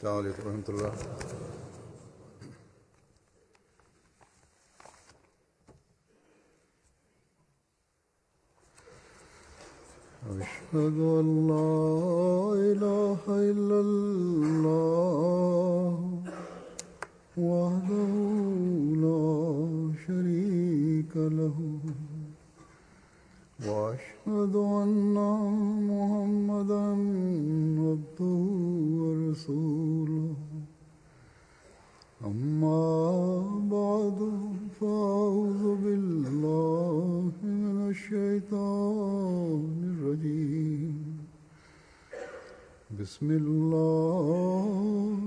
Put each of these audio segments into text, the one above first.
السلام عليكم ورحمة الله. أشهد أن لا إله إلا الله وحده لا شريك له وأشهد أن محمدا عبده ورسوله أما بعد فأعوذ بالله من الشيطان الرجيم بسم الله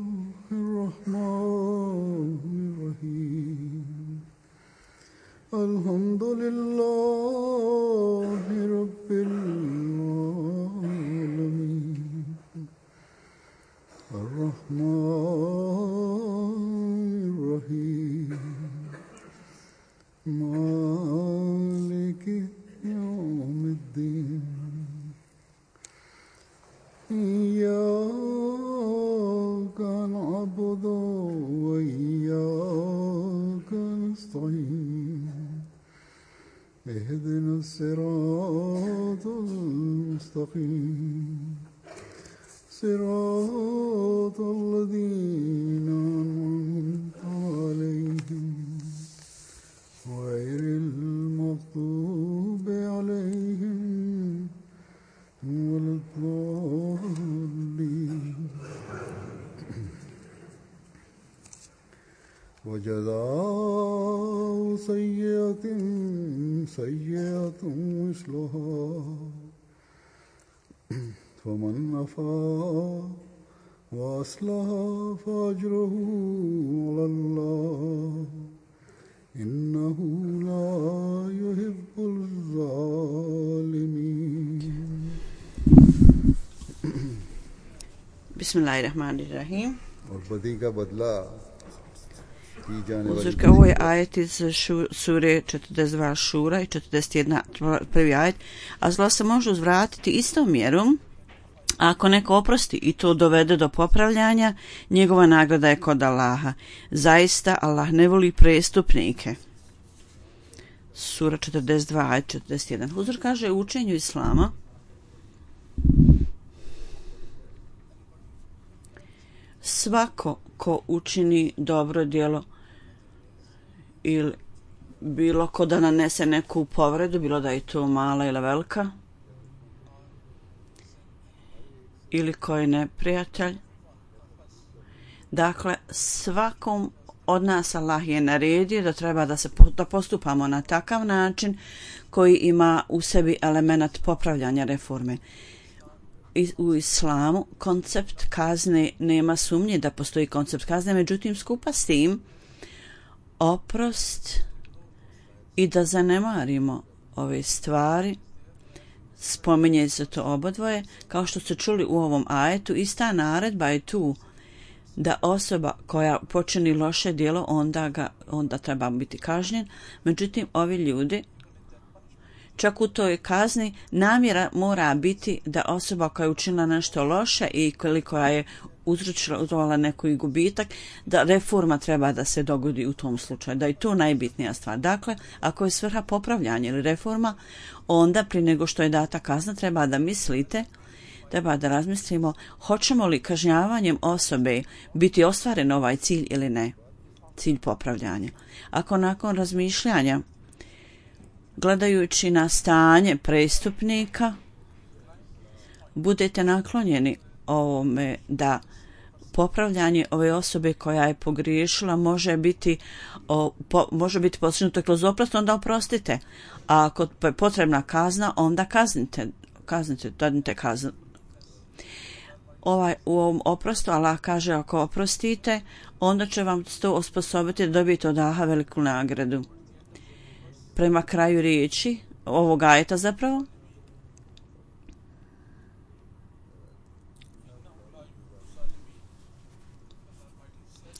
الرحمن الرحيم الحمد لله رب العالمين الرحمن الرحيم مالك يوم الدين إياك نعبد وإياك نستعين اهدنا الصراط المستقيم صراط الذين أنعمت عليهم غير المغضوب عليهم ولا الضالين وجزاء سيئة سيئة مثلها فمن عفا وأصلح فأجره على الله إنه لا يحب الظالمين. Bismillahirrahmanirrahim. और बदी का बदला की जाने वाली Uzurka, ovo je ajet iz sure 42 Šura i 41 prvi ajet, a zlo se može uzvratiti istom mjerom ako neko oprosti i to dovede do popravljanja, njegova nagrada je kod Allaha. Zaista Allah ne voli prestupnike. Sura 42 ajet 41. Huzur kaže u učenju islama svako ko učini dobro djelo ili bilo ko da nanese neku povredu, bilo da je to mala ili velika, ili ko je neprijatelj. Dakle, svakom od nas Allah je naredio da treba da postupamo na takav način koji ima u sebi element popravljanja reforme. U islamu koncept kazne, nema sumnje da postoji koncept kazne, međutim skupa s tim oprost i da zanemarimo ove stvari, spominje se to obodvoje, kao što ste čuli u ovom ajetu, ista naredba je tu da osoba koja počini loše djelo onda treba biti kažnjen, međutim ovi ljudi čak u toj kazni namjera mora biti da osoba koja je učinila nešto loše i koja je uzrokovala neki gubitak, da reforma treba da se dogodi u tom slučaju, da je to najbitnija stvar. Dakle, ako je svrha popravljanja ili reforma, onda prije nego što je data kazna treba da razmislimo hoćemo li kažnjavanjem osobe biti ostvaren ovaj cilj ili ne, cilj popravljanja. Ako nakon razmišljanja, gledajući na stanje prestupnika, budete naklonjeni ovome da popravljanje ove osobe koja je pogriješila može biti postignuto kroz oprost, onda oprostite. A ako je potrebna kazna, onda kaznite, dadite kaznu. U ovom oprostu Allah kaže ako oprostite, onda će vam to osposobiti da dobijete od Allaha veliku nagradu. Prema kraju riječi ovog ajeta zapravo,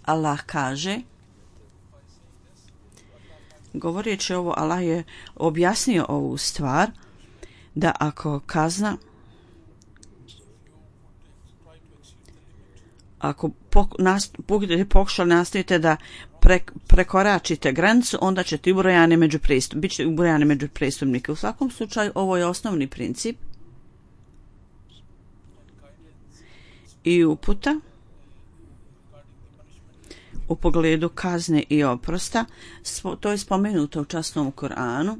Allah kaže, govoreći ovo, Allah je objasnio ovu stvar, da ako budete pokušali nastavite da prekoračite granicu, onda ćete bit ćete ubrojani među prestupnike. U svakom slučaju ovo je osnovni princip i uputa u pogledu kazne i oprosta. To je spomenuto u časnom Koranu,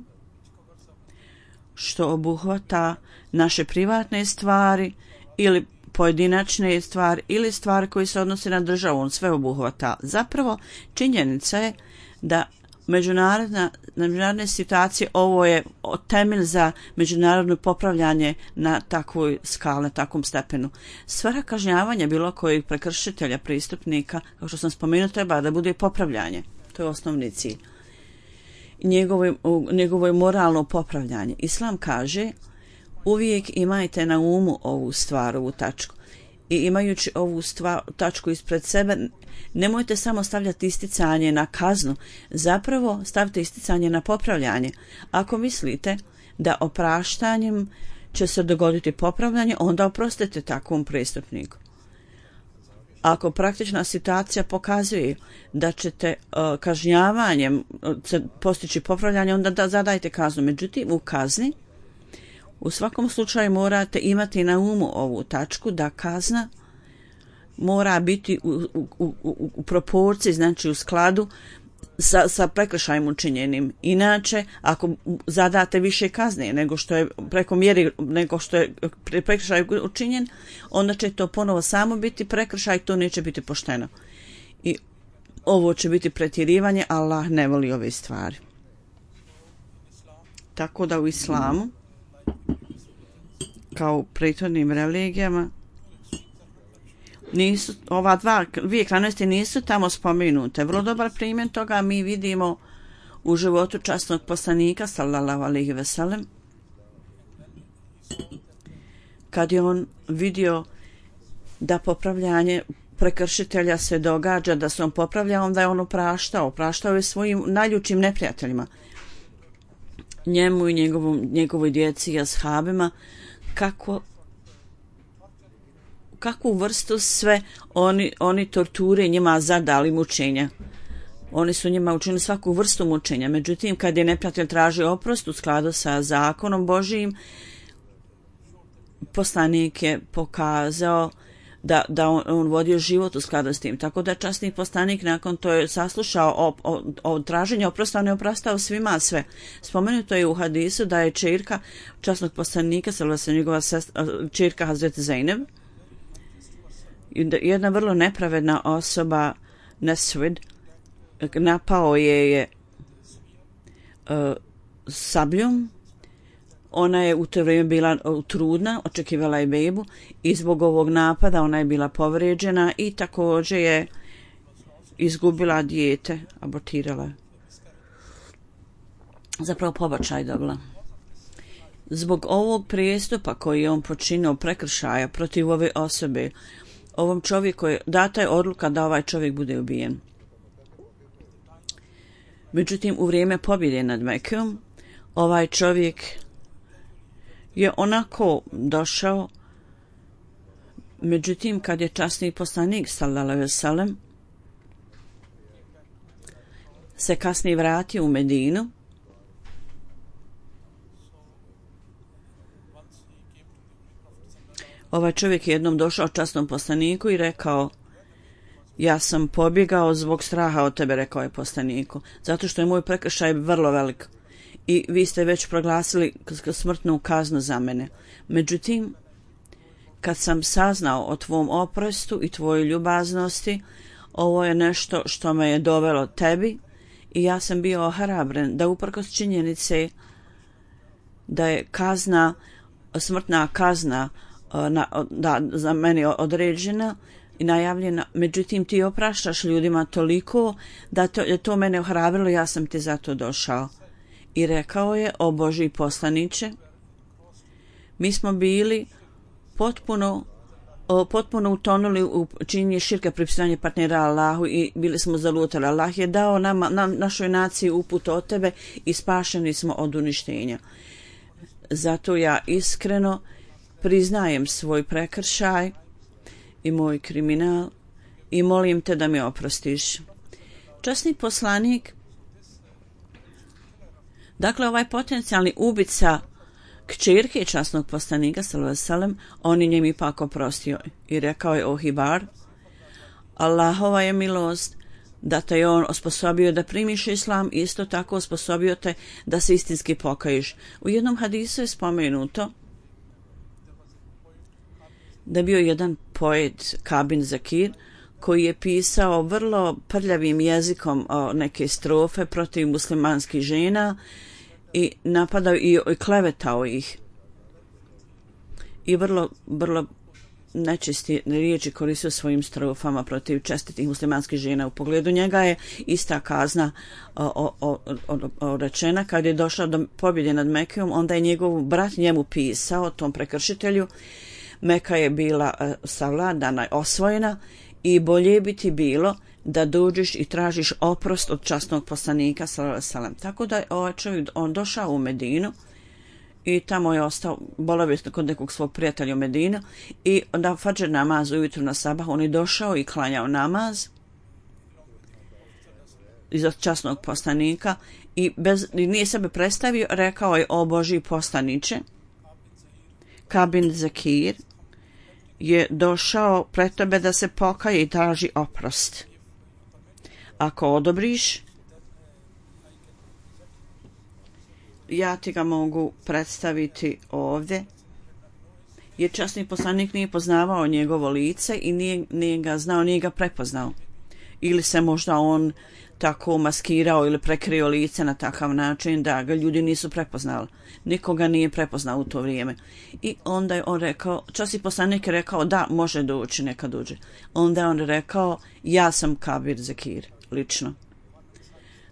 što obuhvata naše privatne stvari ili pojedinačne stvari ili stvari koje se odnose na državu, on sve obuhvata. Zapravo, činjenica je da međunarodne situacije, ovo je temelj za međunarodno popravljanje na takvoj skali, na takvom stepenu. Svrha kažnjavanja bilo kojeg prekršitelja, pristupnika, kao što sam spomenuo, treba da bude popravljanje. To je osnovni cilj. Njegovo je moralno popravljanje. Islam kaže: uvijek imajte na umu ovu stvar, ovu tačku. I imajući ovu tačku ispred sebe, nemojte samo stavljati isticanje na kaznu, zapravo stavite isticanje na popravljanje. Ako mislite da opraštanjem će se dogoditi popravljanje, onda oprostite takvom prestupniku. Ako praktična situacija pokazuje da ćete kažnjavanjem postići popravljanje, onda zadajte kaznu. Međutim, u kazni u svakom slučaju morate imati na umu ovu tačku, da kazna mora biti u proporciji, znači u skladu sa prekršajem učinjenim. Inače, ako zadate više kazne nego što je preko mjeri, nego što je prekršaj učinjen, onda će to ponovo samo biti prekršaj, to neće biti pošteno. I ovo će biti pretjerivanje, Allah ne voli ove stvari. Tako da u islamu, kao u prethodnim religijama, ova dvije krajnosti nisu tamo spomenute. Vrlo dobar primjer toga mi vidimo u životu časnog poslanika sallallahu alejhi ve sellem, kad je on vidio da popravljanje prekršitelja se događa, da se on popravlja, onda je on opraštao je svojim najljučim neprijateljima, njemu i njegovoj djeci i ashabima, kakvu vrstu sve oni torture njima zadali mučenja. Oni su njima učinili svaku vrstu mučenja. Međutim, kad je neprijatelj tražio oprost u skladu sa zakonom Božijim, poslanik je pokazao da on vodio život u skladu s tim. Tako da časni poslanik nakon to je saslušao o traženju oprosta, on je oprostao svima sve. Spomenuto je u hadisu da je čerka časnog poslanika, njegova čerka Hazreti Zainab, jedna vrlo nepravedna osoba, Nesvid, napao je sabljom. Ona je u to vrijeme bila trudna, očekivala je bebu i zbog ovog napada ona je bila povrijeđena i također je izgubila dijete, abortirala. Zapravo pobačaj dobila. Zbog ovog prijestupa koji je on počinio, prekršaja protiv ove osobe, ovom čovjeku je data je odluka da ovaj čovjek bude ubijen. Međutim, u vrijeme pobjede nad Mekom, ovaj čovjek je onako došao, međutim, kad je časni poslanik sallallahu alejhi ve sellem se kasnije vratio u Medinu, ovaj čovjek je jednom došao časnom poslaniku i rekao: ja sam pobjegao zbog straha od tebe, rekao je poslaniku, zato što je moj prekršaj vrlo velik i vi ste već proglasili smrtnu kaznu za mene. Međutim, kad sam saznao o tvom oprostu i tvojoj ljubaznosti, ovo je nešto što me je dovelo tebi i ja sam bio ohrabren da uprkos činjenice da je smrtna kazna za mene određena i najavljena, međutim ti opraštaš ljudima toliko da to mene ohrabrilo, ja sam ti zato došao. I rekao je: o Božji poslaniče, mi smo bili potpuno utonuli u činjenje širka, pripisivanje partnera Allahu i bili smo zalutali. Allah je dao našoj naciji uput od tebe i spašeni smo od uništenja. Zato ja iskreno priznajem svoj prekršaj i moj kriminal i molim te da mi oprostiš. Časni poslanik, dakle ovaj potencijalni ubica kćerke časnog poslanika sallallahu alejhi ve sellem, on je njemu ipak oprostio i rekao je: o Hibar, Allahova je milost da te je on osposobio da primiš islam, isto tako osposobio te da se istinski pokaješ. U jednom hadisu je spomenuto da bio jedan poet Kabin Zakir koji je pisao vrlo prljavim jezikom neke strofe protiv muslimanskih žena i napadao i klevetao ih. I vrlo nečisti riječi koristio svojim strofama protiv čestitih muslimanskih žena. U pogledu njega je ista kazna rečena. Kad je došla do pobjede nad Mekijom, onda je njegov brat njemu pisao, tom prekršitelju: Meka je bila savladana, osvojena i bolje bi ti bilo da dođeš i tražiš oprost od časnog poslanika sallallahu alejhi ve sellem. Tako da je ovaj čovjek došao u Medinu i tamo je ostao boravio kod nekog svog prijatelja u Medinu i da fadžer namaz ujutru na sabah on je došao i klanjao namaz iza časnog poslanika i nije sebe predstavio, rekao je: o Božji poslaniče, Kabin Zakir je došao pred tebe da se pokaje i traži oprost. Ako odobriš, ja ti ga mogu predstaviti ovdje, jer časni poslanik nije poznavao njegovo lice i nije ga znao, nije ga prepoznao. Ili se možda on tako maskirao ili prekrio lice na takav način da ga ljudi nisu prepoznali. Nikoga nije prepoznao u to vrijeme. I onda je on rekao, časni poslanik je rekao: da, može doći, neka dođe. Onda je on rekao: ja sam Kabir Zakir, lično.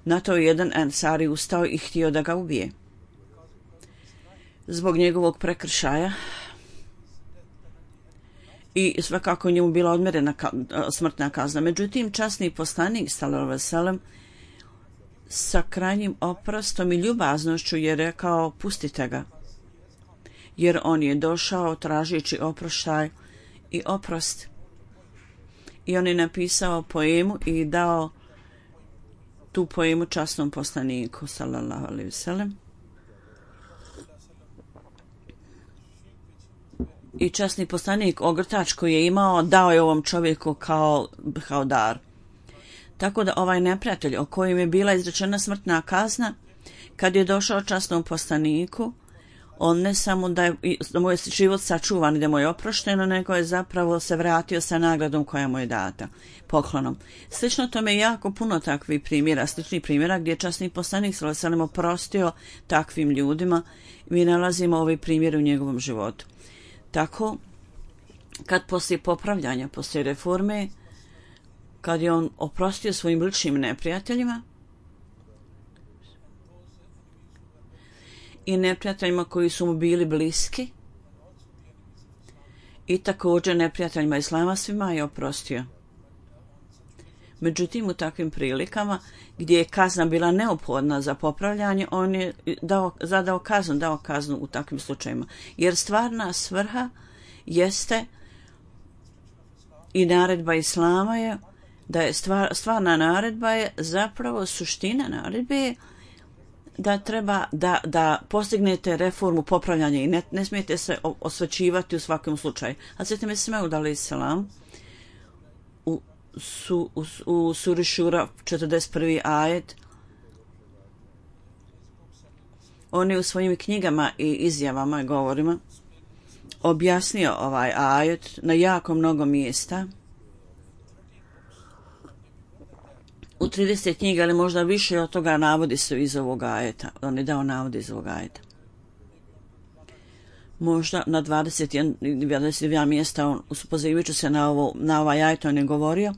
Na to je jedan Ensari ustao i htio da ga ubije zbog njegovog prekršaja i svakako njemu bila odmjerena smrtna kazna. Međutim, časni poslanik sallallahu alejhi ve sellem sa krajnjim oprostom i ljubaznošću je rekao: pustite ga, jer on je došao tražeći oproštaj i oprost. I on je napisao poemu i dao tu poemu časnom poslaniku sallallahu alejhi ve sellem. I časni poslanik ogrtač koji je imao dao je ovom čovjeku kao dar. Tako da ovaj neprijatelj o kojem je bila izrečena smrtna kazna, kad je došao časnom poslaniku, on ne samo da je mu je život sačuvan i da mu je oprošteno, nego je zapravo se vratio sa nagradom koja mu je data, poklonom. Slično tome je jako puno takvih primjera, sličnih primjera gdje je časni poslanik sallallahu alejhi ve sellem oprostio takvim ljudima. Mi nalazimo ovaj primjer u njegovom životu. Tako, kad poslije popravljanja, poslije reforme, kad je on oprostio svojim ličnim neprijateljima i neprijateljima koji su mu bili bliski i također neprijateljima islama, svima je oprostio. Međutim, u takvim prilikama gdje je kazna bila neophodna za popravljanje, on je dao kaznu u takvim slučajima. Jer stvarna svrha jeste i naredba islama je da je stvarna naredba je zapravo suština naredbe je da treba da postignete reformu popravljanja i ne smijete se osvećivati u svakom slučaju. A Hazreti Mesih Maud alejhi selam u suri Šura 41. ajet, on je u svojim knjigama i izjavama i govorima objasnio ovaj ajet na jako mnogo mjesta. U 30 knjiga, ali možda više od toga navodi se iz ovog ajeta. On je dao navode iz ovog ajeta. Možda na 22 mjesta, pozivajući se na ovaj ajet, on je govorio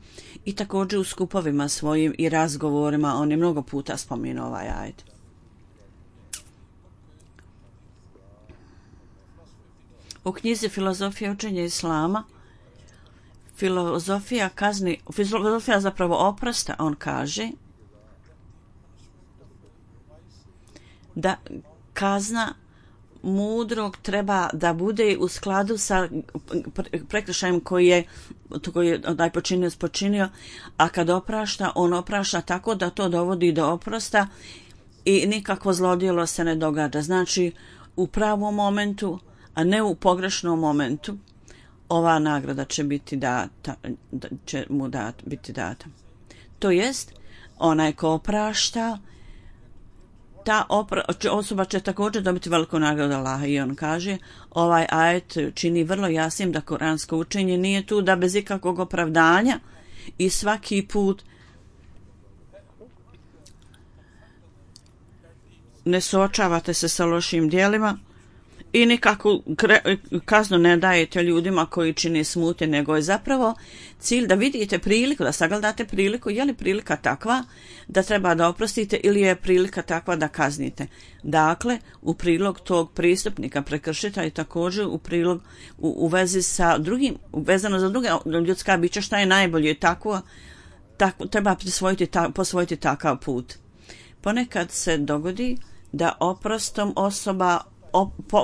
i također u skupovima svojim i razgovorima on je mnogo puta spomenuo ovaj ajet. U knjizi Filozofija učenja islama, filozofija zapravo oprosta, on kaže da kazna mudrog treba da bude u skladu sa prekršajem koji je onaj počinio, a kad oprašta, on oprašta tako da to dovodi do oprosta i nikakvo zlodjelo se ne događa. Znači, u pravom momentu, a ne u pogrešnom momentu, ova nagrada će biti data, biti data. To jest, onaj ko oprašta, ta osoba će također dobiti veliku nagradu Allaha i on kaže, ovaj ajet čini vrlo jasnim da kuransko učenje nije tu da bez ikakvog opravdanja i svaki put ne suočavate se sa lošim djelima i nikakvu kaznu ne dajete ljudima koji čine smutnje, nego je zapravo cilj da vidite priliku, da sagledate priliku, je li prilika takva da treba da oprostite ili je prilika takva da kaznite. Dakle, u prilog tog pristupnika prekršitelja i također u prilog u vezi sa drugim, vezano za druga ljudska bića, šta je najbolje, tako treba posvojiti takav put. Ponekad se dogodi da oprostom osoba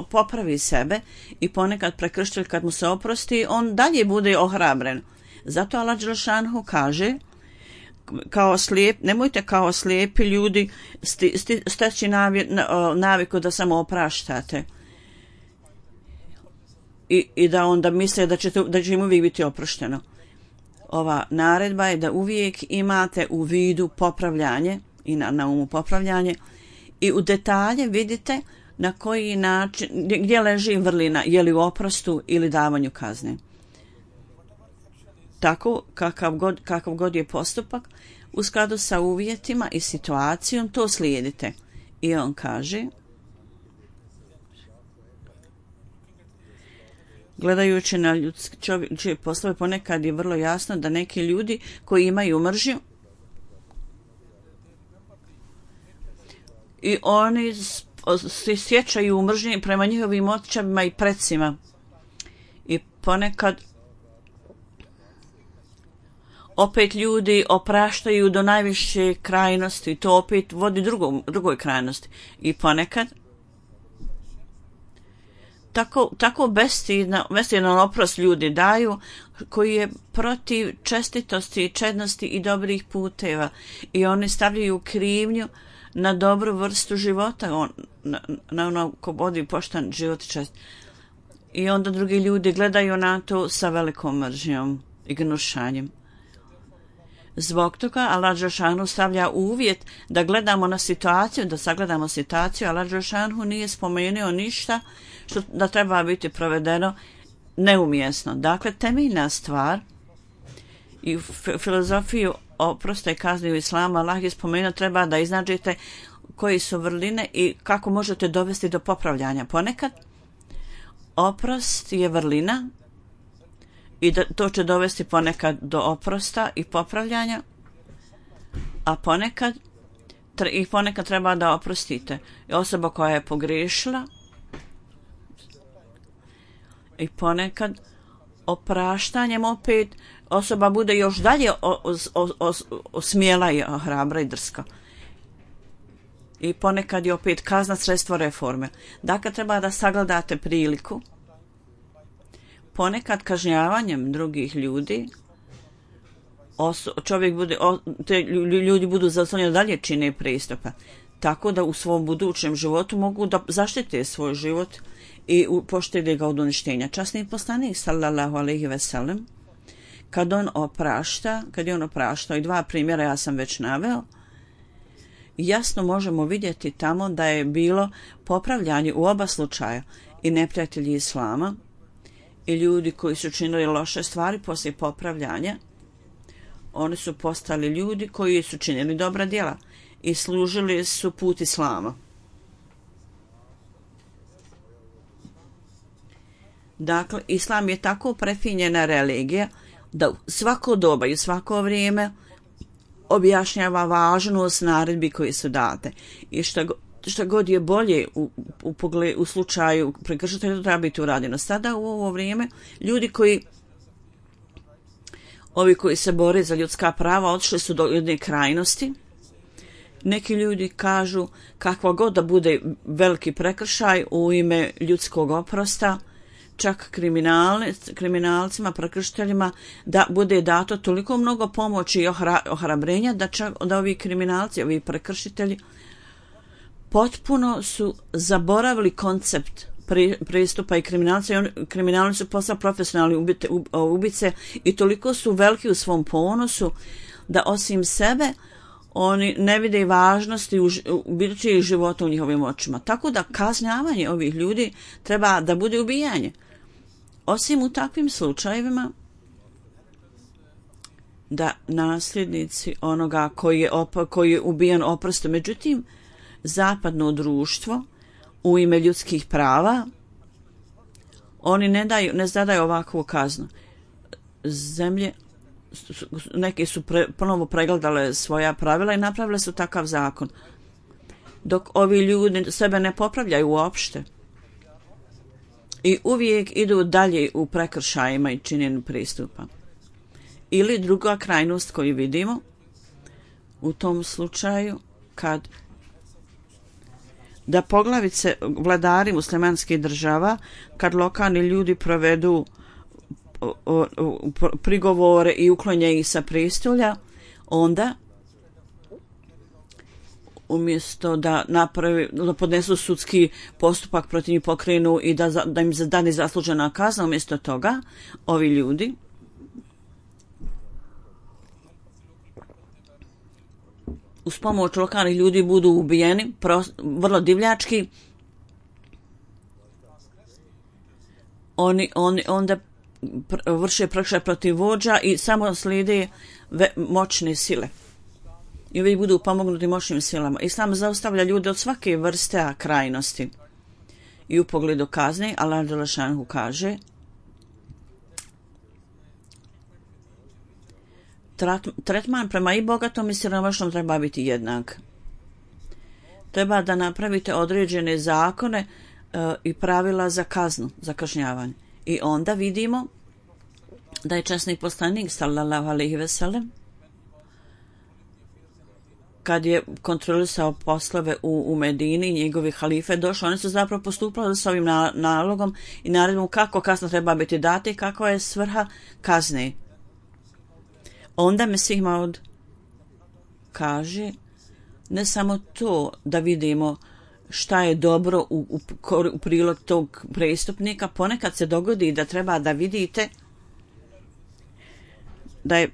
popravi sebe i ponekad prekršitelj kad mu se oprosti, on dalje bude ohrabren. Zato Allah dželešanohu kaže, nemojte kao slijepi ljudi steći naviku da samo opraštate i da onda misle da će im uvijek biti oprošteno. Ova naredba je da uvijek imate u vidu popravljanje i na umu popravljanje i u detalje vidite na koji način, gdje leži vrlina, je li u oprostu ili davanju kazne. Tako, kakav god je postupak, u skladu sa uvjetima i situacijom, to slijedite. I on kaže, gledajući na ljudske poslove, ponekad je vrlo jasno da neki ljudi koji imaju mržnju i oni se sjećaju mržnje prema njihovim očevima i precima. I ponekad opet ljudi opraštaju do najviše krajnosti, to opet vodi drugoj krajnosti. I ponekad tako bestidan oprost ljudi daju koji je protiv čestitosti, čednosti i dobrih puteva i oni stavljaju krivnju na dobru vrstu života, na ono ko vodi poštan život i čest. I onda drugi ljudi gledaju na to sa velikom mržnjom i gnušanjem. Zbog toga Allah dželešanohu stavlja uvjet da gledamo na situaciju, da sagledamo situaciju. Allah dželešanohu nije spomenuo ništa što da treba biti provedeno neumjesno. Dakle, temeljna stvar i filozofiju oprosta i kazni u islamu, Allah je spomenuo, treba da iznađete koji su vrline i kako možete dovesti do popravljanja. Ponekad oprost je vrlina i to će dovesti ponekad do oprosta i popravljanja, a ponekad treba da oprostite. I osoba koja je pogriješila i ponekad opraštanjem opet osoba bude još dalje smjela i hrabra i drska. I ponekad je opet kazna sredstvo reforme. Dakle, treba da sagledate priliku. Ponekad kažnjavanjem drugih ljudi ljudi budu zaslonjeni dalje čine pristupa. Tako da u svom budućem životu mogu da zaštite svoj život i poštede ga od uništenja. Časni poslanik sallallahu alejhi ve sellem kad je on opraštao i dva primjera ja sam već naveo, jasno možemo vidjeti tamo da je bilo popravljanje u oba slučaja i neprijatelji islama i ljudi koji su činili loše stvari poslije popravljanja. Oni su postali ljudi koji su činili dobra djela i služili su put islama. Dakle, islam je tako prefinjena religija da svako doba i svako vrijeme objašnjava važnost naredbi koji su date. I što god je bolje u slučaju prekršitelja, to treba biti urađeno. Sada u ovo vrijeme ljudi koji se bore za ljudska prava otišli su do jedne krajnosti Neki ljudi kažu kakva god da bude veliki prekršaj u ime ljudskog oprosta, čak kriminalcima, prekršiteljima, da bude dato toliko mnogo pomoći i ohrabrenja da ovi kriminalci, ovi prekršitelji potpuno su zaboravili koncept pristupa i kriminalci su postali profesionalni ubice i toliko su veliki u svom ponosu da osim sebe oni ne vide važnosti u bilo čijeg života u njihovim očima. Tako da kažnjavanje ovih ljudi treba da bude ubijanje. Osim u takvim slučajevima da nasljednici onoga koji je ubijen oproste. Međutim, zapadno društvo u ime ljudskih prava oni ne zadaju ovakvu kaznu. Zemlje neke su ponovo pregledale svoja pravila i napravile su takav zakon. Dok ovi ljudi sebe ne popravljaju uopšte i uvijek idu dalje u prekršajima i činjenju pristupa. Ili druga krajnost koju vidimo u tom slučaju kad da poglavice vladari muslimanskih država kad lokalni ljudi provedu prigovore i uklonje ih sa prestolja, onda umjesto da podnesu sudski postupak protiv njih pokrenu i da im zadane zaslužena kazna, umjesto toga ovi ljudi uz pomoć lokalnih ljudi budu ubijeni vrlo divljački. Oni onda vrše prekršaj protiv vođa i samo slijede moćne sile. I ovi budu pomognuti moćnim silama. Islam zaustavlja ljude od svake vrste krajnosti. I u pogledu kazne, Allah dželešanu kaže tretman prema i bogatom i siromašnom treba biti jednak. Treba da napravite određene zakone i pravila za kaznu, za kažnjavanje. I onda vidimo da je časni poslanik sallallahu alejhi ve sellem kad je kontrolisao poslove u Medini, njegovi halife došli, oni su zapravo postupali s ovim nalogom i naredbom kako kazna treba biti data i kakva je svrha kazne. Onda Mesih Maud kaže ne samo to da vidimo šta je dobro u prilog tog prestupnika, ponekad se dogodi da treba da vidite da je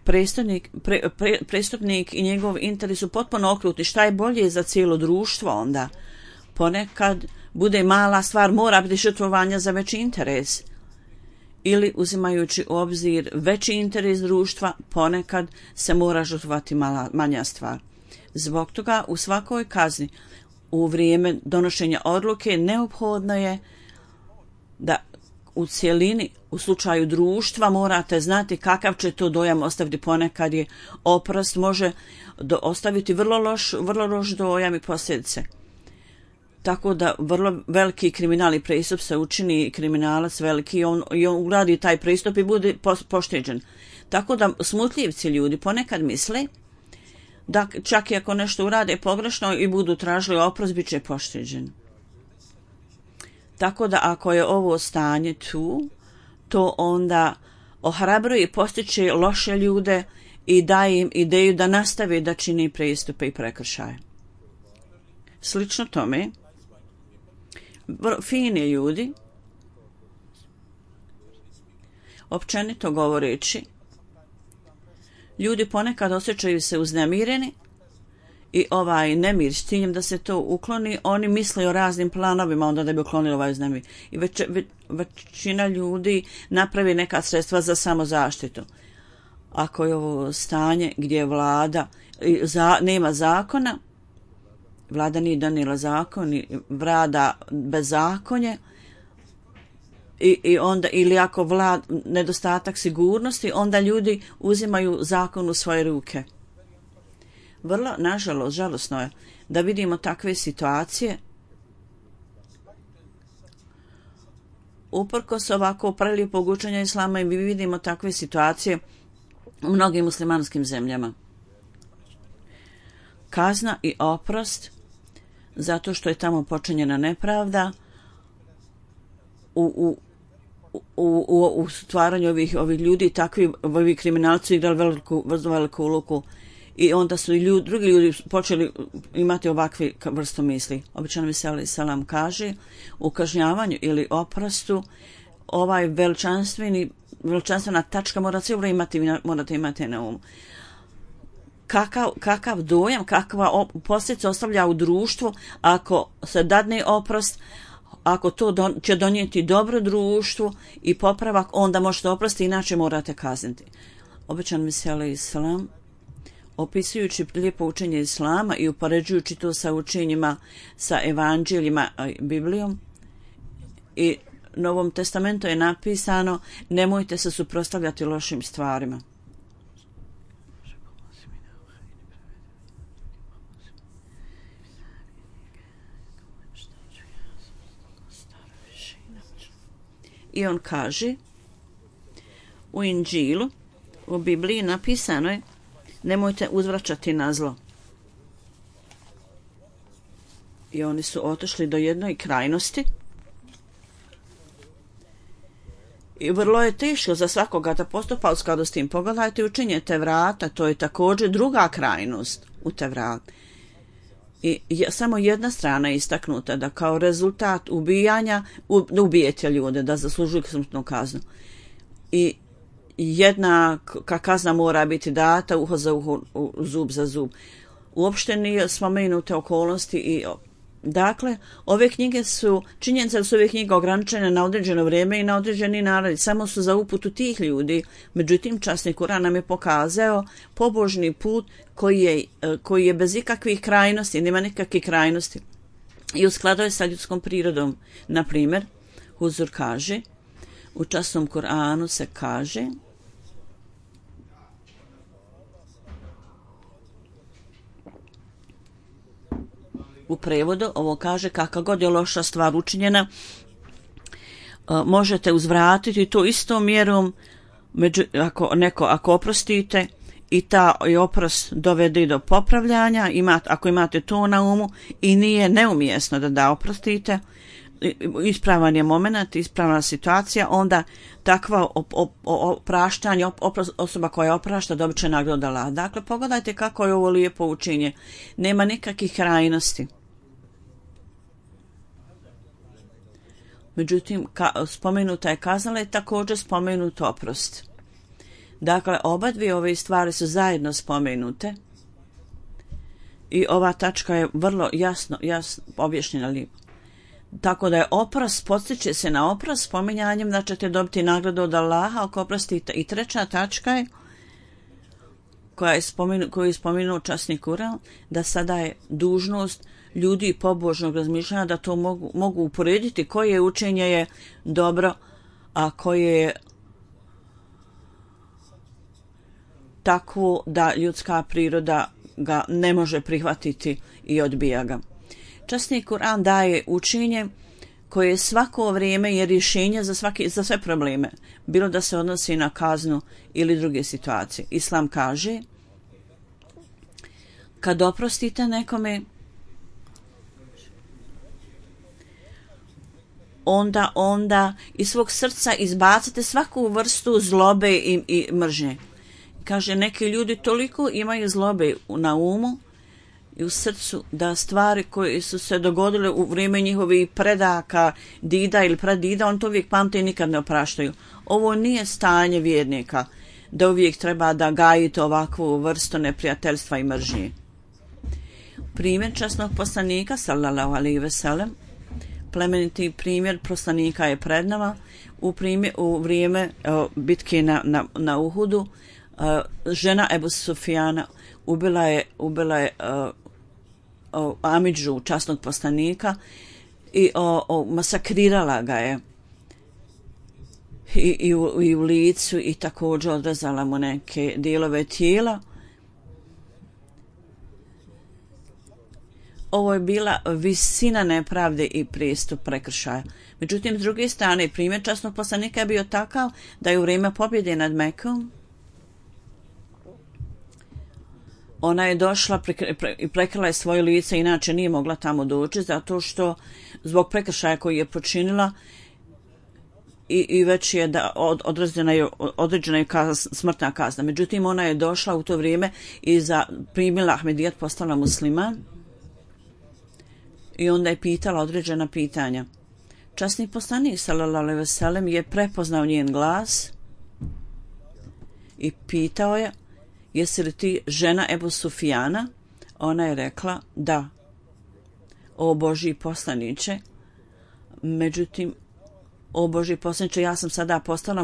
prestupnik i njegov interes su potpuno okrutni. Šta je bolje za cijelo društvo onda? Ponekad bude mala stvar, mora biti žrtvovanja za veći interes. Ili uzimajući u obzir veći interes društva, ponekad se mora žrtvovati manja stvar. Zbog toga u svakoj kazni u vrijeme donošenja odluke neophodno je da u cjelini, u slučaju društva, morate znati kakav će to dojam ostaviti. Ponekad je oprost može ostaviti vrlo loš dojam i posljedice. Tako da vrlo veliki kriminalni pristup se učini kriminalac veliki i on uradi taj pristup i bude pošteđen. Tako da smutljivci ljudi ponekad misle da čak i ako nešto urade pogrešno i budu tražili oprost, bit će pošteđen. Tako da ako je ovo stanje tu, to onda ohrabruje i postiče loše ljude i daje im ideju da nastave da čini pristupe i prekršaje. Slično tome, fini ljudi, općenito govoreći, ljudi ponekad osjećaju se uznemireni i ovaj nemir s ciljem da se to ukloni, oni misle o raznim planovima onda da bi uklonili ovaj uznemir. I većina ljudi napravi neka sredstva za samozaštitu. Ako je ovo stanje gdje vlada nema zakona, vlada nije donijela zakon, vlada bezakonje, i onda, ili ako nedostatak sigurnosti, onda ljudi uzimaju zakon u svoje ruke. Vrlo, nažalost, žalosno je da vidimo takve situacije. Uprkos ovako prelijepog učenja islama i mi vidimo takve situacije u mnogim muslimanskim zemljama. kazna i oprost zato što je tamo počinjena nepravda u stvaranju ovih ljudi. Takvi ovi kriminalci igrali veliku ulogu i onda su i drugi ljudi počeli imati ovakve vrstu misli. Običan Mesija alejhi selam kaže u kažnjavanju ili oprostu ovaj veličanstvena tačka morate imati na umu. Kakav dojam, kakva posljedica ostavlja u društvu ako se dadne oprost, ako to će donijeti dobro društvu i popravak, onda možete oprostiti, inače morate kazniti. Običan Mesija alejhi selam, opisujući lijepo učenje islama i upoređujući to sa učenjima, sa evanđeljima, Biblijom i Novom testamentu je napisano: nemojte se suprotstavljati lošim stvarima. I on kaže u Inđilu, u Bibliji napisano je: nemojte uzvraćati na zlo. I oni su otišli do jednoj krajnosti i vrlo je teško za svakoga da postupa u skladu s tim. Pogledajte učenje Tevrata, to je također druga krajnost u Tevratu. I samo jedna strana je istaknuta da kao rezultat ubijanja ubijete ljude, da zaslužuju smrtnu kaznu. I jedna kazna mora biti data, uho za uho, zub za zub. Uopšte nije spomenute okolnosti i dakle, ove knjige su, činjenica da su ove knjige ograničene na određeno vrijeme i na određeni narod, samo su za uputu tih ljudi. Međutim, časni Kur'an nam je pokazao pobožni put koji je bez ikakvih krajnosti, nema nikakvih krajnosti i u skladu je sa ljudskom prirodom. Na primjer, Huzur kaže, u časnom Kur'anu se kaže: u prevodu ovo kaže: kakva god je loša stvar učinjena, možete uzvratiti to istom mjerom, ako oprostite i ta oprost dovede do popravljanja, ako imate to na umu i nije neumjesno da oprostite, ispravan je moment, ispravna situacija, onda takva opraštanje, osoba koja oprašta dobit će nagradu od Allaha. Dakle, pogledajte kako je ovo lijepo učenje. Nema nikakvih krajnosti. Međutim, spomenuta je kazna, je također spomenut oprost. Dakle, oba dvije ove stvari su zajedno spomenute i ova tačka je vrlo jasno objašnjena lijepo. Tako da je oprost, podstiče se na oprost spominjanjem da ćete dobiti nagradu od Allaha ako oprostite. I treća tačka je koju je spomenuo časni Kur'an, da sada je dužnost ljudi pobožnog razmišljanja da to mogu uporediti koje učenje je dobro, a koje je takvo da ljudska priroda ga ne može prihvatiti i odbija ga. Časni Kur'an daje učenje koje svako vrijeme je rješenje za sve probleme, bilo da se odnosi na kaznu ili druge situacije. Islam kaže: kad oprostite nekome, onda iz svog srca izbacite svaku vrstu zlobe i mržnje. Kaže, neki ljudi toliko imaju zlobe na umu i u srcu da stvari koje su se dogodile u vrijeme njihovih predaka, dida ili pradida, on to uvijek pamte i nikad ne opraštaju. Ovo nije stanje vjernika, da uvijek treba da gajite ovakvu vrstu neprijateljstva i mržnje. Primjer časnog poslanika, sallallahu alejhi ve sellem, plemeniti primjer poslanika je pred nama. U vrijeme bitke na Uhudu, žena Ebu Sufjana ubila je Amidžu, časnog poslanika, i masakrirala ga je i u licu i također odrezala mu neke dijelove tijela. Ovo je bila visina nepravde i pristup prekršaja. Međutim, s druge strane, primjer časnog poslanika je bio takav da je u vrijeme pobjede nad Mekom ona je došla i prekrila je svoje lice, inače nije mogla tamo doći, zato što zbog prekršaja koji je počinila i već je određena je smrtna kazna. Međutim, ona je došla u to vrijeme i primila Ahmedijet, postala musliman i onda je pitala određena pitanja. Časni poslanik sallallahu alejhi ve sellem je prepoznao njen glas i pitao je: jesi li ti žena Ebu Sufijana? Ona je rekla: da, o Božji poslaniče. Međutim, o Božji poslaniče, ja sam sada postala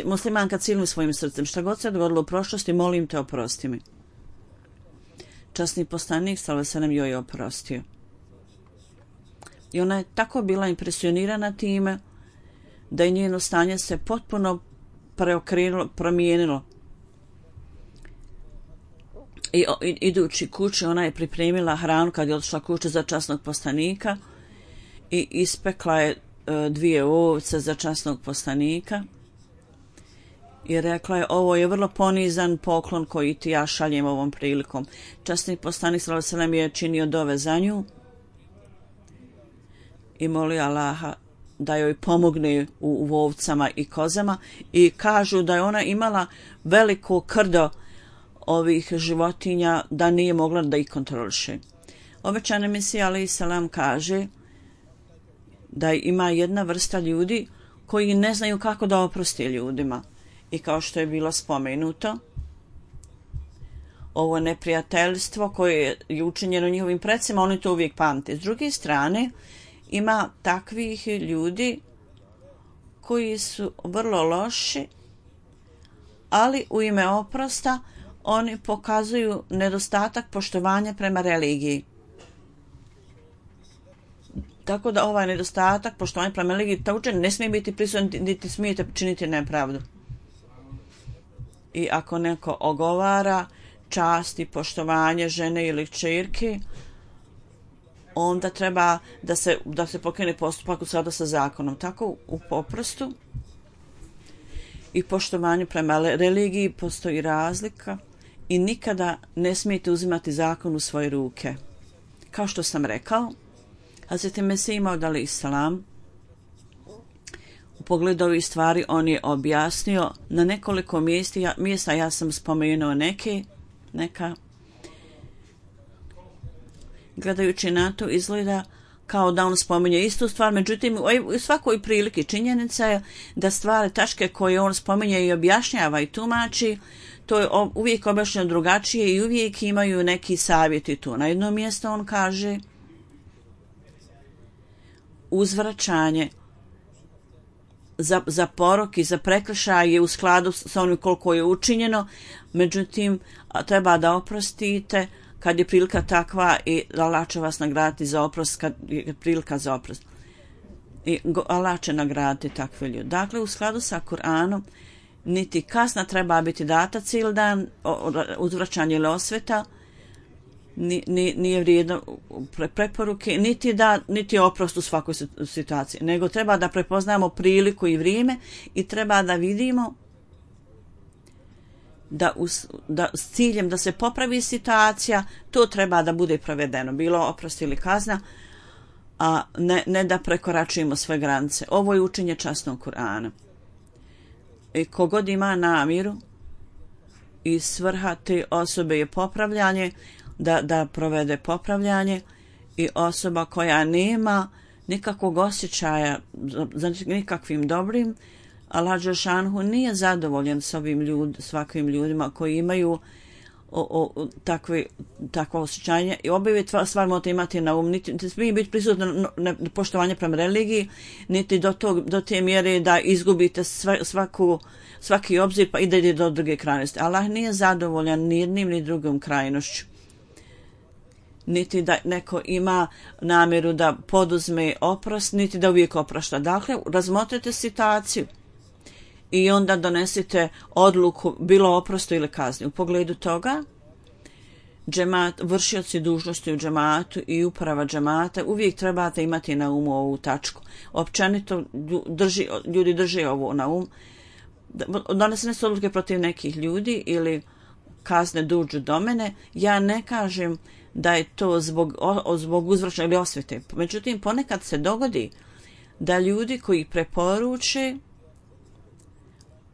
muslimanka cijelim svojim srcem. Šta god se dogodilo u prošlosti, molim te, oprosti mi. Časni poslanik sallallahu alejhi ve sellem joj je oprostio. I ona je tako bila impresionirana time da je njeno stanje se potpuno promijenilo. I idući kući, ona je pripremila hranu kad je otišla kući za časnog poslanika i ispekla je 2 ovce za časnog poslanika i rekla je: ovo je vrlo ponizan poklon koji ti ja šaljem ovom prilikom. Časni poslanik sallallahu alejhi ve sellem je činio dove za nju i molio Allaha da joj pomogne u ovcama i kozama, i kažu da je ona imala veliko krdo ovih životinja, da nije mogla da ih kontroliše. Obećani Mesija alejhi selam kaže da ima jedna vrsta ljudi koji ne znaju kako da oproste ljudima, i kao što je bilo spomenuto, ovo neprijateljstvo koje je učinjeno njihovim precima, oni to uvijek pamte. S druge strane, ima takvih ljudi koji su vrlo loši, ali u ime oprosta oni pokazuju nedostatak poštovanja prema religiji. Tako da ovaj nedostatak poštovanja prema religiji također ne smije biti prisutan, niti smijete činiti nepravdu. I ako neko ogovara čast i poštovanje žene ili kćerke, onda treba da se pokrene postupak u skladu sa zakonom. Tako u oprostu i poštovanju prema religiji postoji razlika i nikada ne smijete uzimati zakon u svoje ruke. Kao što sam rekao, Hazreti Mesih Maud alejhi selam u pogledu ovih stvari on je objasnio na nekoliko mjesta, ja sam spomenuo neka. Gledajući na to izgleda kao da on spominje istu stvar, međutim u svakoj priliki činjenica je da stvari tačke koje on spominje i objašnjava i tumači, to je uvijek objašnjeno drugačije i uvijek imaju neki savjeti tu. Na jednom mjestu on kaže: uzvraćanje za porok i za prekršaj je u skladu sa onim koliko je učinjeno, međutim treba da oprostite kad je prilika takva i Allah će vas nagraditi za oprost kad je prilika za oprost. I Allah će nagraditi takve ljude. Dakle, u skladu sa Kur'anom, niti kazna treba biti data cijeli dan, uzvraćanje ili osveta, nije vrijedno preporuke, niti oprost u svakoj situaciji, nego treba da prepoznamo priliku i vrijeme i treba da vidimo da s ciljem da se popravi situacija, to treba da bude provedeno, bilo oprost ili kazna, a ne da prekoračujemo svoje granice. Ovo je učenje časnog Kur'ana. I kogod ima namjeru i svrha te osobe je popravljanje, da provede popravljanje, i osoba koja nema nikakvog osjećaja za nikakvim dobrim, Allah dželešanohu nije zadovoljan s svakvim ljudima koji imaju takvo osjećanje, i obje stvari morate imati na um. Niti smije biti prisutno poštovanje prema religiji, niti do te mjere da izgubite svaki obzir pa idete do druge krajnosti. Allah nije zadovoljan ni jednim ni drugom krajnošću, niti da neko ima namjeru da poduzme oprost, niti da uvijek oprašta. Dakle, razmotrite situaciju i onda donesite odluku, bilo oprosto ili kazni. U pogledu toga, džemat, vršioci dužnosti u džematu i uprava džemata, uvijek trebate imati na umu ovu tačku. Općenito ljudi drže ovo na um. Donesene su odluke protiv nekih ljudi ili kazne dođu do mene, ja ne kažem da je to zbog uzvraćanja ili osvete. Međutim, ponekad se dogodi da ljudi koji preporuče,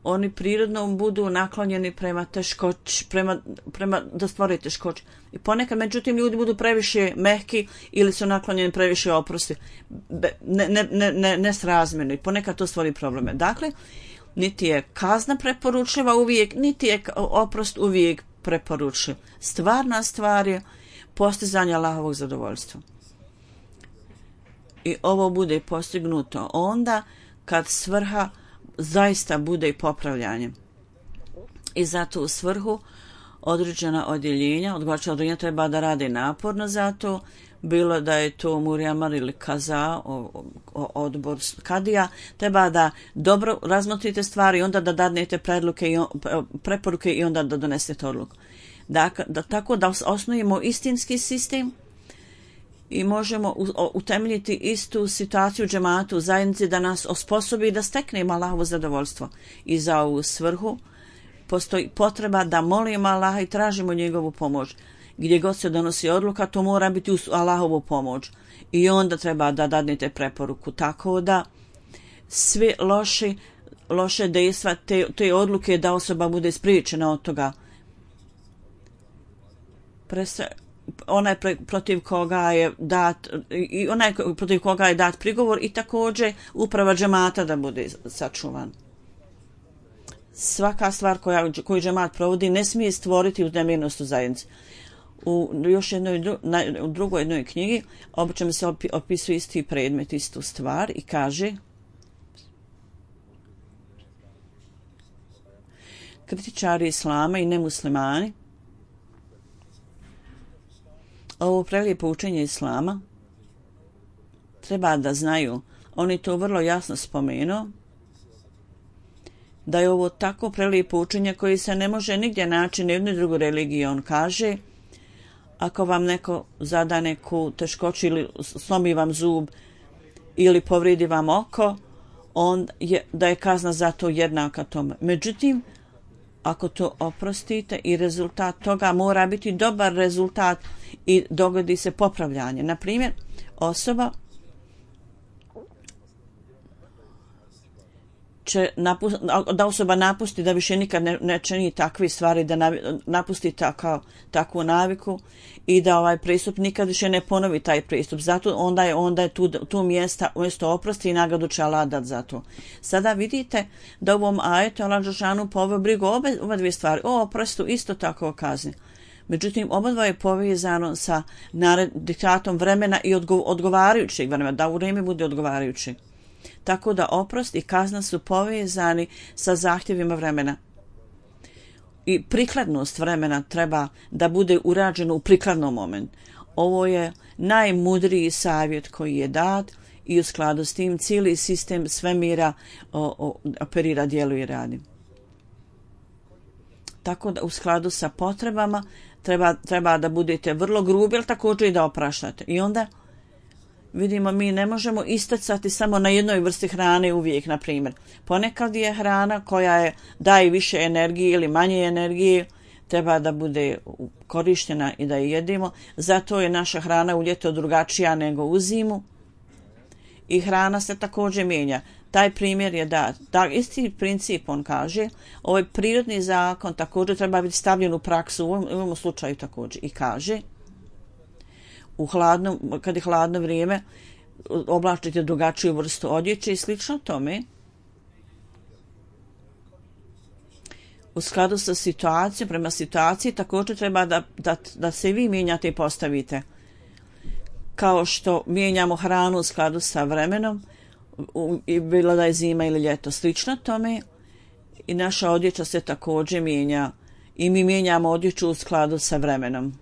oni prirodno budu naklonjeni prema teškoći, prema da stvore teškoće. I ponekad, međutim, ljudi budu previše mehki ili su naklonjeni previše oprosti. Nesrazmjerno. I ponekad to stvori probleme. Dakle, niti je kazna preporučljiva uvijek, niti je oprost uvijek preporučljiv. Stvarna stvar je postizanje Allahovog zadovoljstva. I ovo bude postignuto onda kad svrha zaista bude i popravljanje. I zato u svrhu određena odjeljenja, odgovarajuća odjeljenja treba da rade naporno za to, bilo da je to Murjamar ili Kaza, odbor Kadija, treba da dobro razmotrite stvari i onda da dadnete preporuke i onda da donesete odluku. Tako da osnujemo istinski sistem i možemo utemeljiti istu situaciju džematu u zajednici da nas osposobi da steknemo Allahovo zadovoljstvo. I za ovu svrhu postoji potreba da molimo Allaha i tražimo njegovu pomoć. Gdje god se donosi odluka, to mora biti uz Allahovu pomoć. I onda treba da dadnete preporuku. Tako da sve loše dejstva te odluke da osoba bude spriječena od toga. Onaj protiv koga je dat prigovor i također uprava džemata da bude sačuvan. Svaka stvar koju džemat provodi ne smije stvoriti uznemirnost u zajednici. U drugoj jednoj knjigi obično se opisuje isti predmet, istu stvar i kaže kritičari islama i nemuslimani ovo prelijepo učenje islama treba da znaju, oni to vrlo jasno spomenu, da je ovo tako prelijepo učenje koji se ne može nigdje naći na jednoj drugoj religiji. On kaže, ako vam neko zada neku teškoću ili slomi vam zub ili povridi vam oko, da je kazna za to jednaka tome. Međutim, ako to oprostite i rezultat toga mora biti dobar rezultat i dogodi se popravljanje. Na primjer, da osoba napusti da više nikad ne čini takve stvari, da napusti takvu naviku i da ovaj pristup nikad više ne ponovi taj pristup. Zato onda je tu mjesto oprosti i nagradu će Allah dat za to. Sada vidite da u ovom ajetu Allah dželešanu poveo brigu oba dvije stvari. O oprostu isto tako o kazni. Međutim, obadva je povezano sa diktatom vremena i odgovarajućeg vremena, da u vrijeme bude odgovarajući. Tako da oprost i kazna su povezani sa zahtjevima vremena. I prikladnost vremena treba da bude urađeno u prikladnom momentu. Ovo je najmudriji savjet koji je dat i u skladu s tim cijeli sistem svemira operira, djeluje i radi. Tako da u skladu sa potrebama treba da budete vrlo grubi, ali također i da opraštate. I onda vidimo, mi ne možemo istacati samo na jednoj vrsti hrane uvijek, na primjer. Ponekad je hrana koja daje više energije ili manje energije, treba da bude korištena i da je jedimo. Zato je naša hrana u ljeto drugačija nego u zimu. I hrana se također mijenja. Taj primjer je da isti princip, on kaže, ovaj prirodni zakon također treba biti stavljen u praksu u ovom slučaju također. I kaže, kad je hladno vrijeme, oblačite drugačiju vrstu odjeće i slično tome. U skladu sa situacijom, prema situaciji, također treba da se vi mijenjate i postavite. Kao što mijenjamo hranu u skladu sa vremenom, bilo da je zima ili ljeto, slično tome, i naša odjeća se također mijenja i mi mijenjamo odjeću u skladu sa vremenom.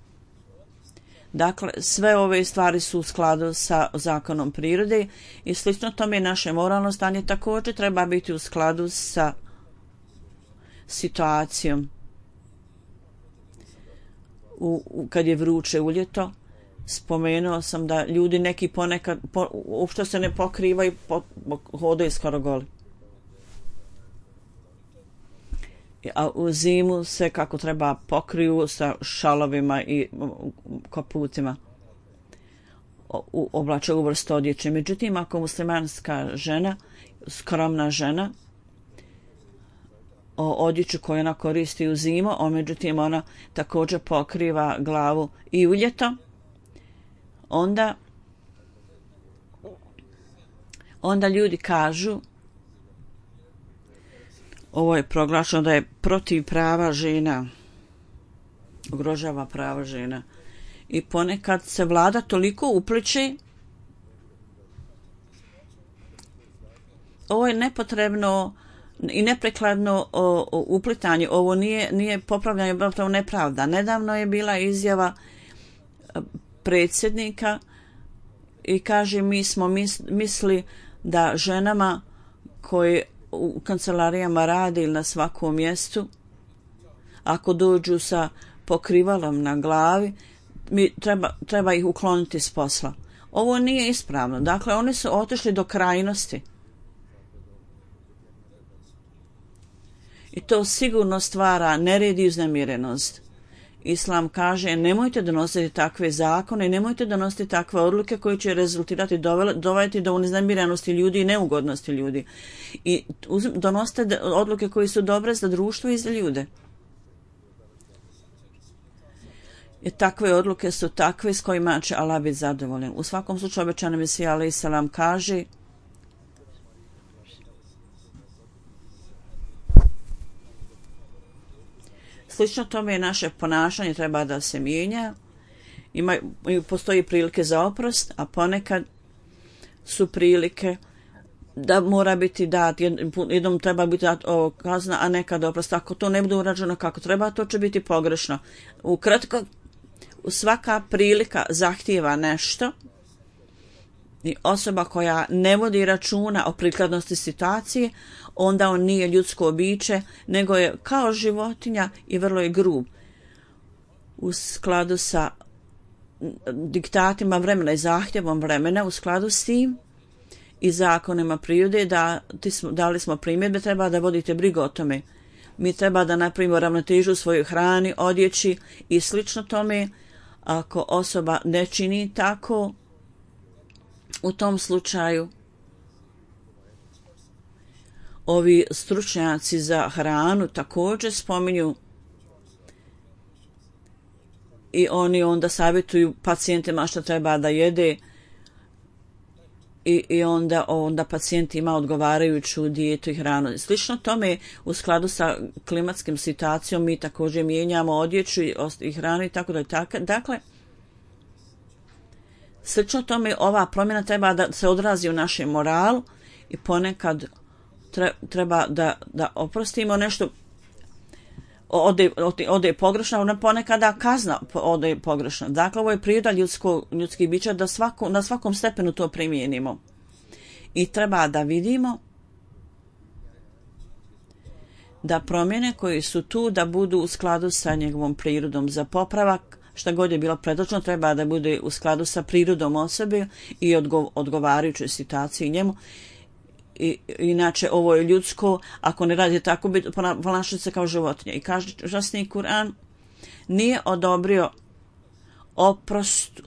Dakle, sve ove stvari su u skladu sa zakonom prirode i slično tome naše moralno stanje također treba biti u skladu sa situacijom. Kad je vruće u ljeto, spomenuo sam da ljudi neki ponekad uopšte se ne pokrivaju, hodaju skoro goli. a u zimu se kako treba pokriju sa šalovima i kaputima, oblače u vrstu odjeće. Međutim, ako muslimanska žena, skromna žena, odjeću koju ona koristi u zimu, međutim ona također pokriva glavu i u ljeto, onda ljudi kažu, ovo je proglašeno da je protiv prava žena, ugrožava prava žena. I ponekad se vlada toliko upliče, ovo je nepotrebno i neprekladno uplitanje, ovo nije popravljanje, to nepravda. Nedavno je bila izjava predsjednika i kaže mi smo misli da ženama koje u kancelarijama rade ili na svakom mjestu, ako dođu sa pokrivalom na glavi, treba ih ukloniti s posla. Ovo nije ispravno. Dakle, oni su otišli do krajnosti. I to sigurno stvara nered i uznemirenost. Islam kaže nemojte donositi takve zakone, nemojte donositi takve odluke koje će rezultirati dovesti do uznemirenosti ljudi i neugodnosti ljudi. I donosite odluke koje su dobre za društvo i za ljude. I takve odluke su takve s kojima će Allah biti zadovoljan. U svakom slučaju obećani Mesija alejhi selam kaže slično tome je naše ponašanje treba da se mijenja. Postoji prilike za oprost, a ponekad su prilike da mora biti dat, jednom treba biti dat kazna, a nekad oprost. Ako to ne bude urađeno kako treba, to će biti pogrešno. Ukratko, svaka prilika zahtijeva nešto i osoba koja ne vodi računa o prikladnosti situacije, onda on nije ljudsko biće, nego je kao životinja i vrlo je grub. U skladu sa diktatima vremena i zahtjevom vremena, u skladu s tim i zakonima prirode, dali smo primjedbe, treba da vodite brigu o tome. Mi treba da napravimo ravnotežu u svojoj hrani, odjeći i slično tome. Ako osoba ne čini tako, u tom slučaju ovi stručnjaci za hranu također spominju i oni onda savjetuju pacijentima što treba da jede i onda pacijent ima odgovarajuću dijetu i hranu. Slično tome u skladu sa klimatskim situacijom mi također mijenjamo odjeću i hranu i tako da. Dakle, slično tome ova promjena treba da se odrazi u našem moralu i ponekad treba da oprostimo nešto ode pogrešno, ponekada kazna ode pogrešno. Dakle, ovo je priroda ljudskih bića da na svakom stepenu to primijenimo. I treba da vidimo da promjene koje su tu da budu u skladu sa njegovom prirodom za popravak, šta god je bilo predloženo, treba da bude u skladu sa prirodom osobe i odgovarajućoj situaciji njemu. Inače, ovo je ljudsko, ako ne radi tako, ponašati se kao životinja. I kaže časni Kur'an, nije odobrio oprost,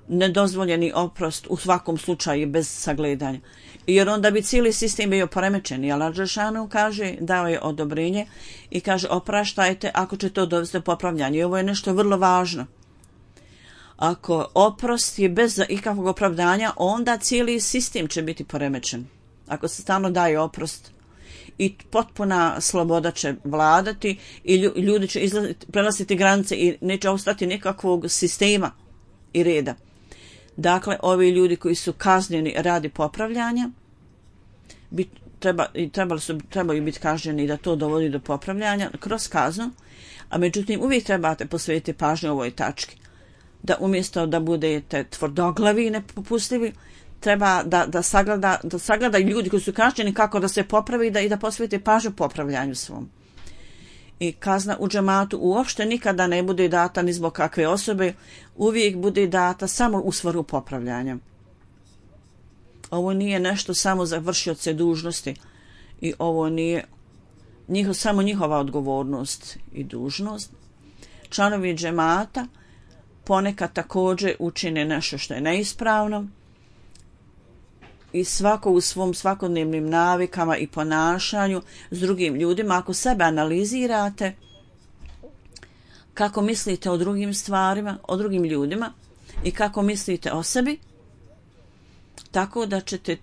nedozvoljeni oprost u svakom slučaju bez sagledanja. Jer onda bi cijeli sistem bio poremećen. I Allah dželešanu kaže, dao je odobrenje i kaže opraštajte ako će to dovesti do popravljanja. I ovo je nešto vrlo važno. Ako oprost je bez ikakvog opravdanja, onda cijeli sistem će biti poremećen. Ako se stalno daje oprost i potpuna sloboda će vladati i ljudi će prelaziti granice i neće ostati nikakvog sistema i reda. Dakle, ovi ljudi koji su kažnjeni radi popravljanja trebaju biti kažnjeni da to dovodi do popravljanja kroz kaznu, a međutim uvijek trebate posvetiti pažnju ovoj tački. Da umjesto da budete tvrdoglavi i nepopustljivi, treba da sagleda ljudi koji su kažnjeni kako da se popravi i da posvete pažnju popravljanju svom. I kazna u džematu uopšte nikada ne bude data ni zbog kakve osobe, uvijek bude data samo u svrhu popravljanja. Ovo nije nešto samo za vršioce dužnosti i ovo nije samo njihova odgovornost i dužnost. Članovi džemata ponekad također učine nešto što je neispravno i svako u svom svakodnevnim navikama i ponašanju s drugim ljudima. Ako sebe analizirate, kako mislite o drugim stvarima, o drugim ljudima i kako mislite o sebi, tako da ćete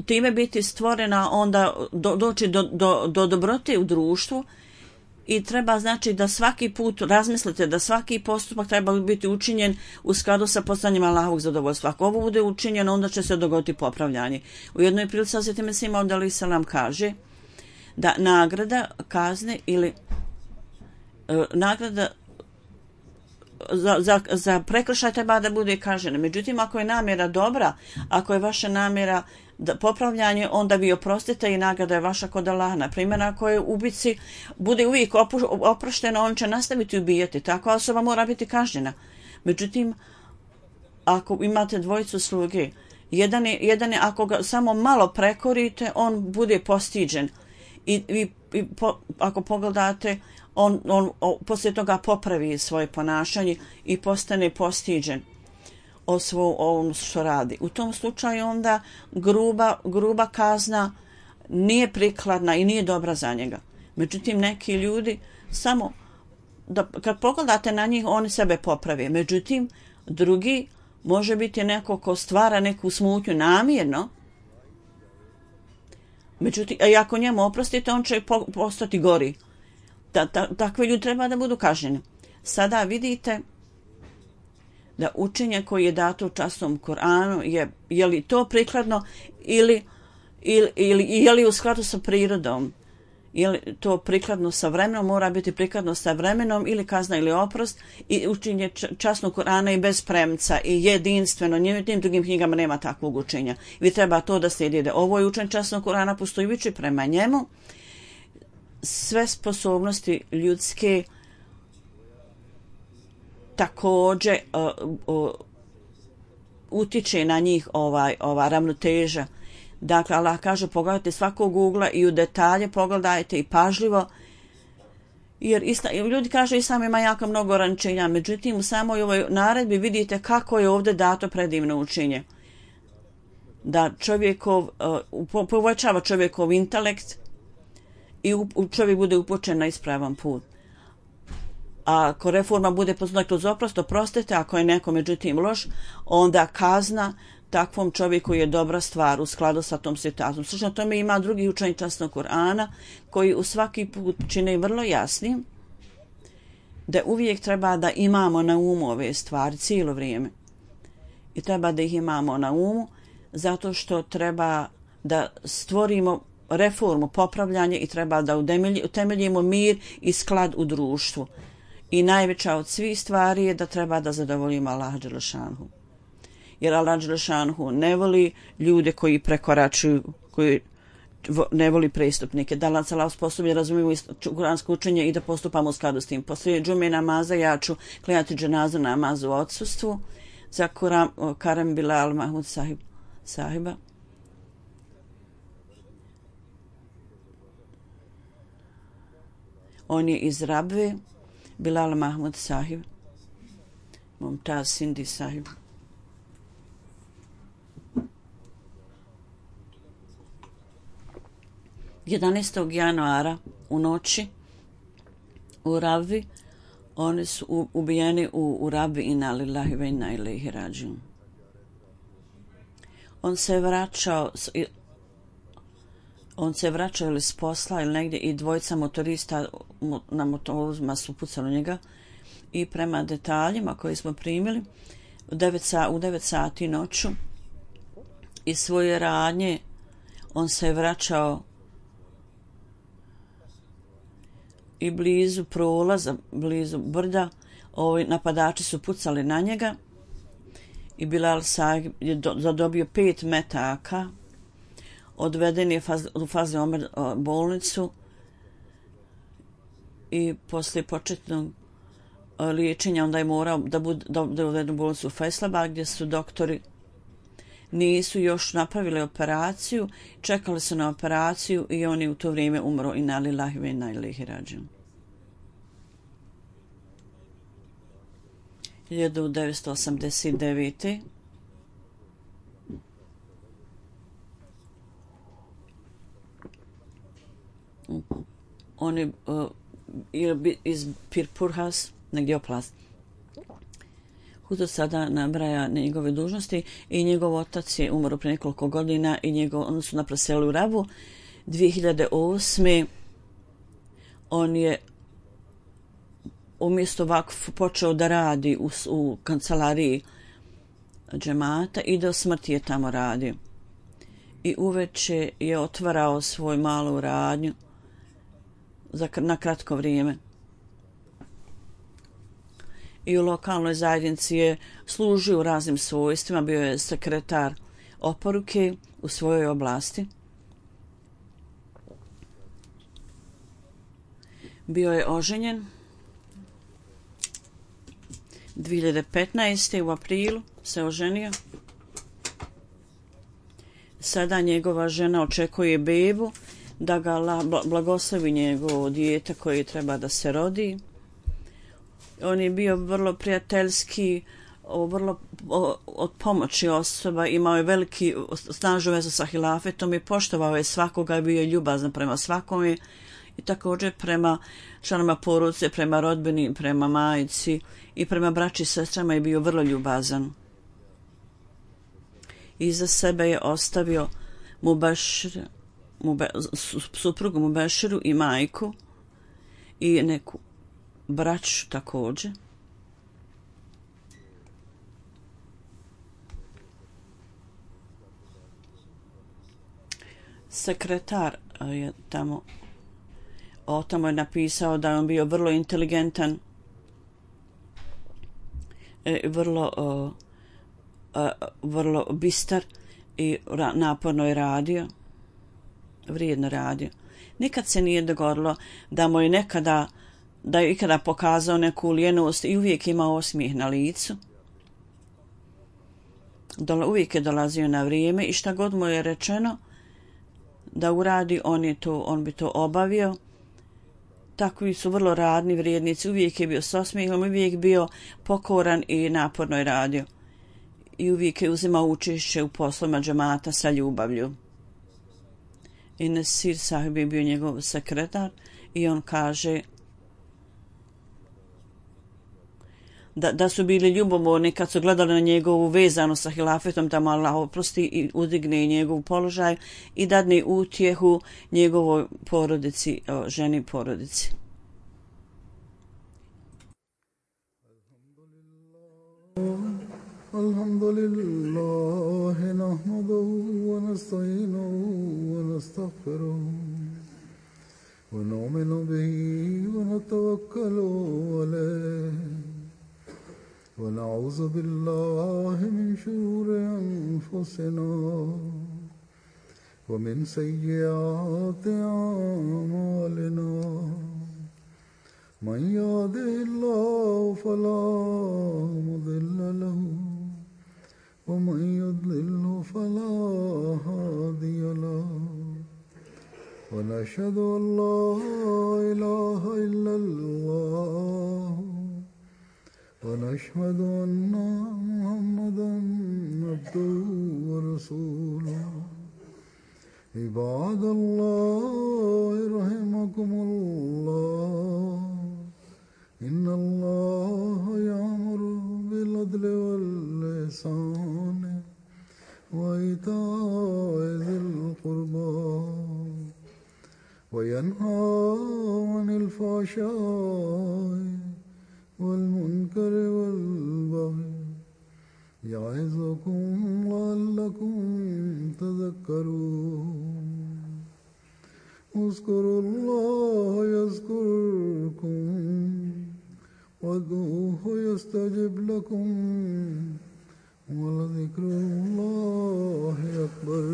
time biti stvorena, onda doći do dobrote u društvu. I treba znači da svaki put razmislite da svaki postupak treba biti učinjen u skladu sa postanjem Allahovog zadovoljstva. Ako ovo bude učinjeno, onda će se dogoditi popravljanje. U jednoj prilici Hazreti Mesih Maud alejhi selam kaže da nagrada kazne ili nagrada za prekršaj treba da bude kažnjena. Međutim, ako je namjera dobra, ako je vaša namjera popravljanje, onda vi oprostite i nagrada je vaša kod Allaha. Na primjer, ako je ubici bude uvijek oprošteno, on će nastaviti ubijati. Takva osoba mora biti kažnjena. Međutim, ako imate dvojicu sluge, jedan je ako ga samo malo prekorite, on bude postiđen. Ako pogledate, on poslije toga popravi svoje ponašanje i postane postiđen o ovom što radi. U tom slučaju onda gruba kazna nije prikladna i nije dobra za njega. Međutim, neki ljudi samo kad pogledate na njih, oni sebe poprave. Međutim, drugi može biti neko ko stvara neku smutnju namjerno. Međutim, ako njemu oprostite, on će postati gori. Takvi ljudi treba da budu kažnjeni. Sada vidite da učenje koje je dato u časnom Kur'anu je li to prikladno ili je li u skladu sa prirodom. Je li to prikladno sa vremenom, mora biti prikladno sa vremenom ili kazna ili oprost. I učenje časnog Kur'ana i bez premca i jedinstveno, nijednim drugim knjigama nema takvog učenja. Vi treba to da slijedite. Ovo je učenje časnog Kur'ana postojujući prema njemu. Sve sposobnosti ljudske također utiče na njih ova ravnoteža. Dakle, Allah kaže pogledajte svakog ugla i u detalje pogledajte i pažljivo, jer ljudi kažu Islam ima jako mnogo ograničenja, međutim u samoj ovoj naredbi vidite kako je ovdje dato predivno učenje. Da povećava čovjekov intelekt i čovjek bude upućen na ispravan put. A ako reforma bude poznata kroz oprost, oprostite, ako je neko međutim loš, onda kazna takvom čovjeku je dobra stvar u skladu sa tom situacijom. Slično tome ima drugi učenje časnog Kur'ana koji u svaki put čine vrlo jasnim da uvijek treba da imamo na umu ove stvari cijelo vrijeme. I treba da ih imamo na umu zato što treba da stvorimo reformu, popravljanje i treba da utemeljimo mir i sklad u društvu. I najveća od svih stvari je da treba da zadovoljimo Allaha dželle šanhu. Jer Allah dželle šanhu ne voli ljude koji prekoračuju, koji ne voli prestupnike. Da nas Allah sposobni razumijemo kuransko učenje i da postupamo u skladu s tim. Poslije džume namaza ja ću klanjati dženazu namazu u odsustvu za Karem Bilal Mahmud sahiba. On je iz Rabve, Bilal Mahmud sahib, Mumtaz Sindi sahib. Januara u noći u Rabvi, oni su ubijeni u Rabvi, inna lillahi ve inna ilaihi rađiun. On se vraćao ili s posla ili negdje i dvojica motorista na motorima su pucali njega i prema detaljima koje smo primili u 9 sati noću iz svoje radnje on se vraćao i blizu prolaza, blizu brda, napadači su pucali na njega i Bilal sahib je zadobio 5 metaka. Odveden je u Fazli Omer bolnicu i poslije početnog liječenja onda je morao da bude uveden u bolnicu u Faisalabad gdje su doktori nisu još napravili operaciju, čekali su na operaciju i on je u to vrijeme umro. Inna lillahi ve inna ilaihi rađiun. 1989. On je iz Pirpurhas, negdje oplast. Hudo sada nabraja njegove dužnosti i njegov otac je umro pre nekoliko godina i oni su napraseli u Rabu. 2008. on je umjesto vakf počeo da radi u kancelariji džemata i do smrti je tamo radio. I uveče je otvarao svoju malu radnju na kratko vrijeme. I u lokalnoj zajednici je služio u raznim svojstvima, bio je sekretar oporuke u svojoj oblasti. Bio je oženjen 2015. u aprilu se oženio. Sada njegova žena očekuje bebu, da ga blagoslovi njegovo dijete koje treba da se rodi. On je bio vrlo prijateljski, vrlo od pomoći osoba, imao je veliki snažnu vezu sa hilafetom i poštovao je svakoga, bio je ljubazan prema svakome i također prema članovima porodice, prema rodbini, prema majci i prema braći i sestrama je bio vrlo ljubazan. Iza sebe je ostavio suprugu Mubeširu i majku i neku braću također. Sekretar je tamo je napisao da je on bio vrlo inteligentan, vrlo bistar i naporno je radio, vrijedno radio. Nikad se nije dogodilo da mu je da je ikada pokazao neku lijenost i uvijek imao osmijeh na licu. Uvijek je dolazio na vrijeme i šta god mu je rečeno da uradi, on bi to obavio. Takvi su vrlo radni vrijednici, uvijek je bio s osmijehom, uvijek bio pokoran i naporno je radio. I uvijek je uzimao učešće u poslovima džemata sa ljubavlju. I Nasir sahib je bio njegov sekretar i on kaže da su bili ljubomorni kad su gledali na njegovu vezanu sa hilafetom, da mu Allah oprosti i uzdigne njegov položaj i dadne utjehu njegovoj porodici, ženi porodici. Alhamdulillah, nahmaduhu wa nasta'inuhu wa nastaghfiruh wa nu'minu bihi wa natawakkalu alayh. ونعوذ بالله من شرور أنفسنا ومن سيئات أعمالنا من يهده الله فلا مضل له ومن يضلل فلا هادي له ونشهد أن لا إله إلا الله ونشهد أن محمدا عبده ورسوله عباد الله رحمكم الله إن الله يأمر بالعدل والإحسان وإيتاء ذي القربى وينهى عن الفحشاء والمنكر والبغي يعظكم لعلكم تذكرون اذكروا الله يذكركم وادعوه يستجب لكم ولذكر الله أكبر.